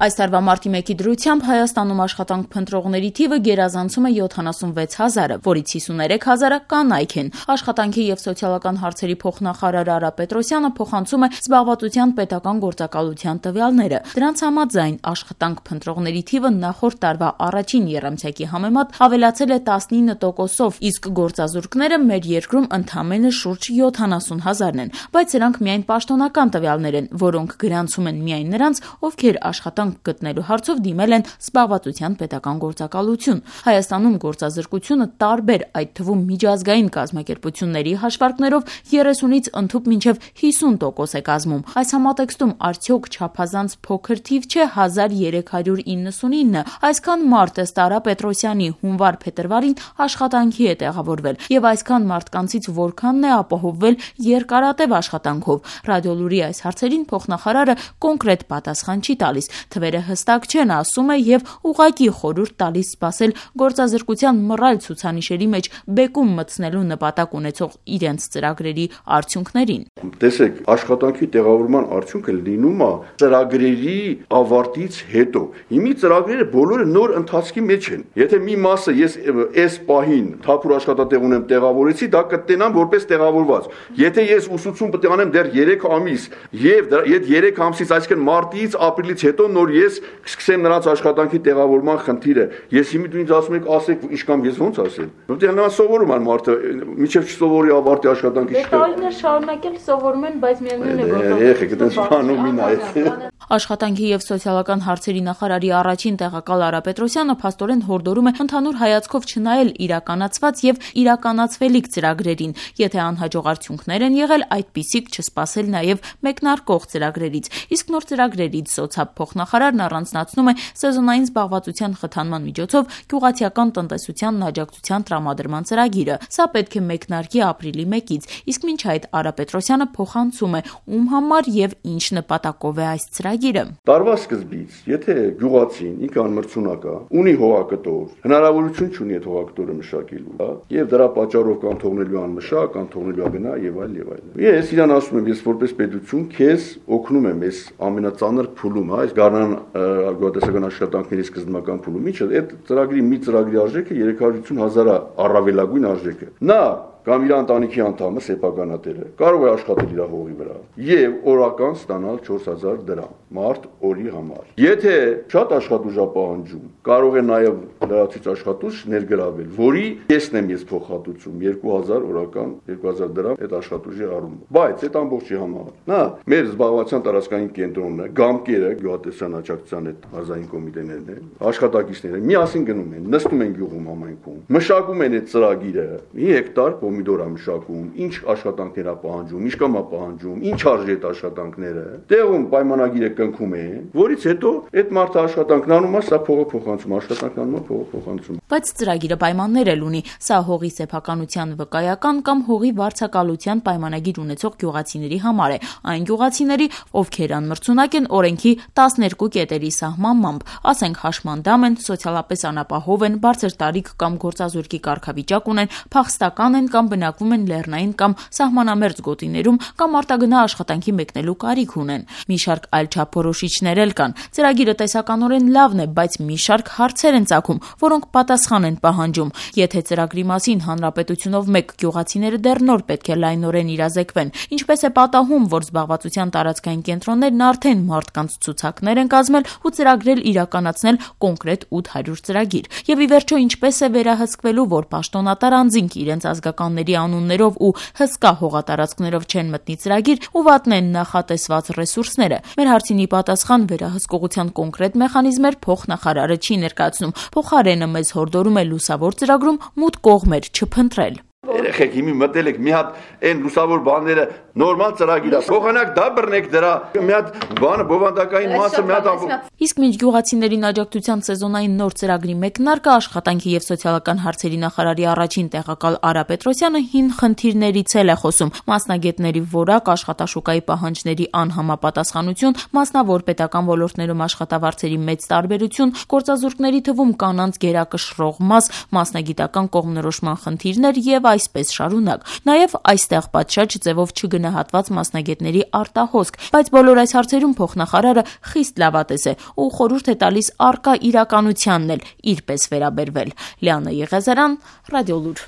Այս տարվա մարտի 1-ի դրությամբ Հայաստանում աշխատանք փնտրողների թիվը գերազանցում է 76,000-ը, որից 53,000-ը կանայք են։ Աշխատանքի եւ սոցիալական հարցերի փոխնախարար Արա Պետրոսյանը փոխանցում է զբաղվածության պետական գործակալության տվյալները։ Դրանց համաձայն աշխատանք փնտրողների թիվը նախորդ տարվա առաջին եռամսյակի համեմատ ավելացել է 19%-ով, իսկ գործազուրկները մեր երկրում ընդամենը շուրջ 70,000-ն են, բայց սրանք միայն պաշտոնական տվյալներ են, որոնք գրանցում են միայն նրանց, ովքեր աշխատանք գտնելու հարցով դիմել են զբաղվածության պետական գործակալություն։ Հայաստանում գործազրկությունը տարբեր, այդ թվում միջազգային կազմակերպությունների հաշվարկներով 30-ից ընդհուպ մինչև 50% է կազմում։ Այս համատեքստում արդյոք չափազանց փոքր թիվ չէ 1399, այսքան մարդ ըստ Արա Պետրոսյանի հունվար-փետրվարին աշխատանքի է տեղավորվել, եւ այսքան մարդկանցից որքանն է ապահովվել երկարատև աշխատանքով։ Ռադիոլուրի այս հարցերին փոխնախարարը կոնկրետ պատասխան չի տալիս, թվերը հստակ չեն, ասում է, եւ ուղղակի խորհուրդ տալիս սպասել գործազրկության մռայլ ցուցանիշերի մեջ բեկում մտցնելու նպատակ ունեցող իրենց ծրագրերի արդյունքներին։ Տեսեք, աշխատանքի տեղավորման արդյունքը լինում է ծրագրերի ավարտից հետո։ Հիմի ծրագրերը բոլորը նոր ընթացքի մեջ են։ Եթե մի մասը ես այս պահին թափուր աշխատատեղ ունեմ տեղավորեցի, դա կտենամ որպես տեղավորված։ Եթե ես ուսուցում պետք է անեմ դեռ 3 ամիս եւ այդ 3 ամսից, այսինքն մարտից, ապրիլից հետո նոր ես կսկսեմ նրանց աշխատանքի տեղավորման խնդիրը։ Ես հիմա դու ինձ ասում եք, ասեք ինչ կամ ես ոնց ասեմ։ Որտեղ նրանց սովորում են մարդը, միջև չսովորի ավարտի աշխատանքի շտը։ Տարիներ շարունակել սովորում են, բայց միևնույն է որ եղեք, այդպես բանում են այդ։ Աշխատանքի եւ սոցիալական հարցերի նախարարի առաջին տեղակալ Արա Պետրոսյանը փաստորեն հորդորում է ընդհանուր հայացքով չնայել իրականացված եւ իրականացվելիք ծրագրերին, եթե անհաջող արդյունքներ են եղել, այդպիսիք չսպասել նաեւ մեկնարկող ծրագրերից։ Իսկ նոր ծրագրերից սոցիալ փոխնախարարն առանձնացնում է սեզոնային զբաղվածության խթանման միջոցով գյուղացիական տնտեսությանն աջակցության տրամադրման ծրագիրը։ Սա պետք է մեկնարկի ապրիլի 1-ից, իսկ մինչ այդ Արա Պետրոսյանը փոխանցում է ում համար եւ ինչ նպատակով է այս ծրագիրը։ Տարվա սկզբից, եթե գյուղացին ինքնամրցունակ է, ունի հողակտոր, հնարավորություն չունի այդ հողակտորը մշակելու, եւ դրա պատճառով կամ թողնելու անմշակ, կամ թողնելու գնա եւ այլ եւ այլ։ Ես իրան ասում եմ, ես որպես պետություն քեզ օգնում եմ այս ամենածանր փուլում, այս գարնան գյուղատնտեսական աշխատանքների սկզբնական փուլում։ Ինչը այդ ծրագրի մի ծրագրի արժեքը 350,000 առավելագույն արժեքը։ Նա կամ իր ընտանիքի անդամը սեփականատերը կարող է աշխատել իր հողի վրա եւ օրական ստանալ 4000 դրամ մարդ օրի համար։ Եթե շատ աշխատուժ է պահանջում, կարող է նաեւ լրացուցիչ աշխատուժ ներգրավել, որի կեսն եմ ես փոխհատուցում 2000 օրական 2000 դրամ այդ աշխատուժի առումով։ Բայց այդ ամբողջի համար նա մեր զբաղվածության տարածքային կենտրոնն է, գամկերը, գյուղատնտեսական աջակցության այդ ազգային կոմիտեներն են, աշխատակիցները միասին գնում են, նստում են գյուղում համայնքում, մշակում են այդ ծրագիրը, մի հեկտար պոմիդոր է մշակում, ինչ աշխատանքներ է պահանջում, ինչ կամ է պահանջում, ինչ արժի այդ աշխատանքները, տեղում պայմանագիրը կնքում են, որից հետո այդ մարդը աշխատանքն անում է, սա փողը փոխանցում, աշխատանքն անում է, փողը փոխանցում։ Բայց ծրագիրը պայմաններ էլ ունի, սա հողի սեփականության վկայական կամ հողի վարձակալության պայմանագիր ունեցող գյուղացիների համար է, այն գյուղացիների, ովքեր անմրցունակ են օրենքի 12 կետերի սահմանմամբ, ասենք հաշմանդամ են, սոցիալապես անապահով են, բարձր տարիք կամ գործազուրկի կարգավիճակ ունեն, փախստական են կամ բնակվում են լեռնային կամ սահմանամերձ գոտիներում կամ արտագնա աշխատանքի մեկնելու կարիք ունեն։ Մի շարք այլ չափորոշիչներ էլ կան։ Ծրագիրը տեսականորեն լավն է, բայց մի շարք հարցեր են ծագում, որոնք պատասխան են պահանջում։ Եթե ծրագրի մասին հանրապետությունով մեկ գյուղացիները դեռ նոր պետք է լայնորեն իրազեկվեն, ինչպես է պատահում, որ զբաղվածության տարածքային կենտրոններն արդեն մարդկանց ցուցակներ են կազմել ու ծրագրել իրականացնել կոնկրետ 800 ծրագիր։ Եվ ի վերջո ինչպես է վերահսկվելու, որ պաշտոնատար անձինք իրենց ազգականների անուններով ու հսկա հողատարածքներով չեն մտնի ծրագիր ու վատնեն նախատեսված ռեսուրսները։ Մեր հարցին ի պատասխան վերահսկողության կոնկրետ մեխանիզմեր փոխնախարարը չի ներկայացնում։ Փոխարենը մեզ հորդորում է լուսավոր ծրագրում մութ կողմեր չփնտրել։ Երեխեք հիմի մտել եք մի հատ այն լուսավոր բաները նորմալ ծրագիր է։ Փոխանակ դա բռնեք դրա մի հատ բանը բովանդակային մասը մի հատ Իսկ մինչ գյուղացիներին աջակցության սեզոնային նոր ծրագրի մեկնարկը աշխատանքի եւ սոցիալական հարցերի նախարարի առաջին տեղակալ Արա Պետրոսյանը հին խնդիրներից է խոսում։ Մասնագետների որակ, աշխատաշուկայի պահանջների անհամապատասխանություն, մասնավոր պետական ոլորտներում աշխատավարձերի մեծ տարբերություն, գործազուրկների թվում կանանց գերակշռող մաս, մասնագիտական կողմնորոշման խնդիրներ եւ այսպես այսպես շարունակ։ Նաև այստեղ պատշաճ ձևով չգնահատված մասնագետների արտահոսք, բայց բոլոր այս հարցերում փոխնախարարը խիստ լավատես է ու խորհուրդ է տալիս առկա իրականությանն էլ իրպես վերաբերվել։ Լիանա Եղիազարյան, Ռադիոլուր։